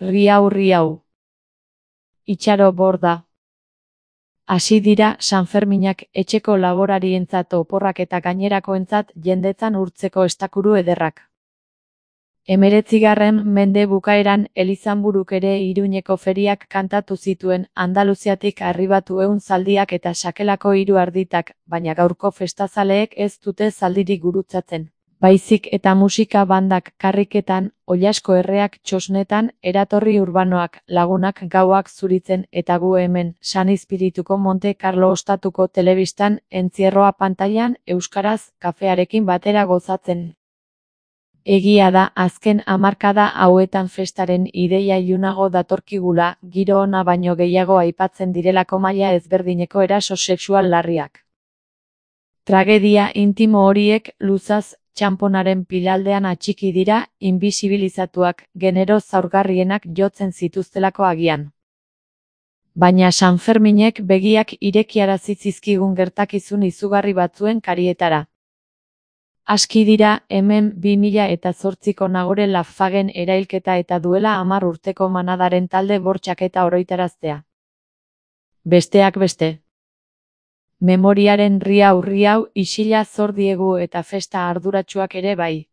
Riau. Itxaro borda. Hasi dira Sanferminak etxeko laborarientzat oporrak eta gainerakoentzat jendetzan urtzeko estakuru ederrak. 19. mende bukaeran Elizanburuk ere Iruñeko feriak kantatu zituen, Andaluziatik arribatu zaldiak eta sakelako 3 arditak, baina gaurko festazaleek ez dute zaldirik gurutzatzen. Baizik eta musika bandak karriketan, oilasko erreak txosnetan, eratorri urbanoak, lagunak gauak zuritzen eta gu hemen, San Izpirituko Monte Carlo ostatuko telebistan, entzierroa pantailan, euskaraz, kafearekin batera gozatzen. Egia da, azken hamarkada hauetan festaren ideia ilunago datorkigula, giro ona baino gehiago aipatzen direlako maila ezberdineko eraso sexual larriak. Tragedia intimo horiek luzaz, txanponaren pilaldean atxiki dira, invisibilizatuak, genero zaurgarrienak jotzen zituztelako agian. Baina Sanferminek begiak irekiarazi zizkigun gertakizun izugarri batzuen karietara. Aski dira, hemen 2008ko Nagore Laffaguen erailketa eta duela 10 urteko Manadaren talde bortxaketa oroitaraztea. Besteak beste. Memoriaren riau isila zor diegu eta festa arduratsuak ere bai.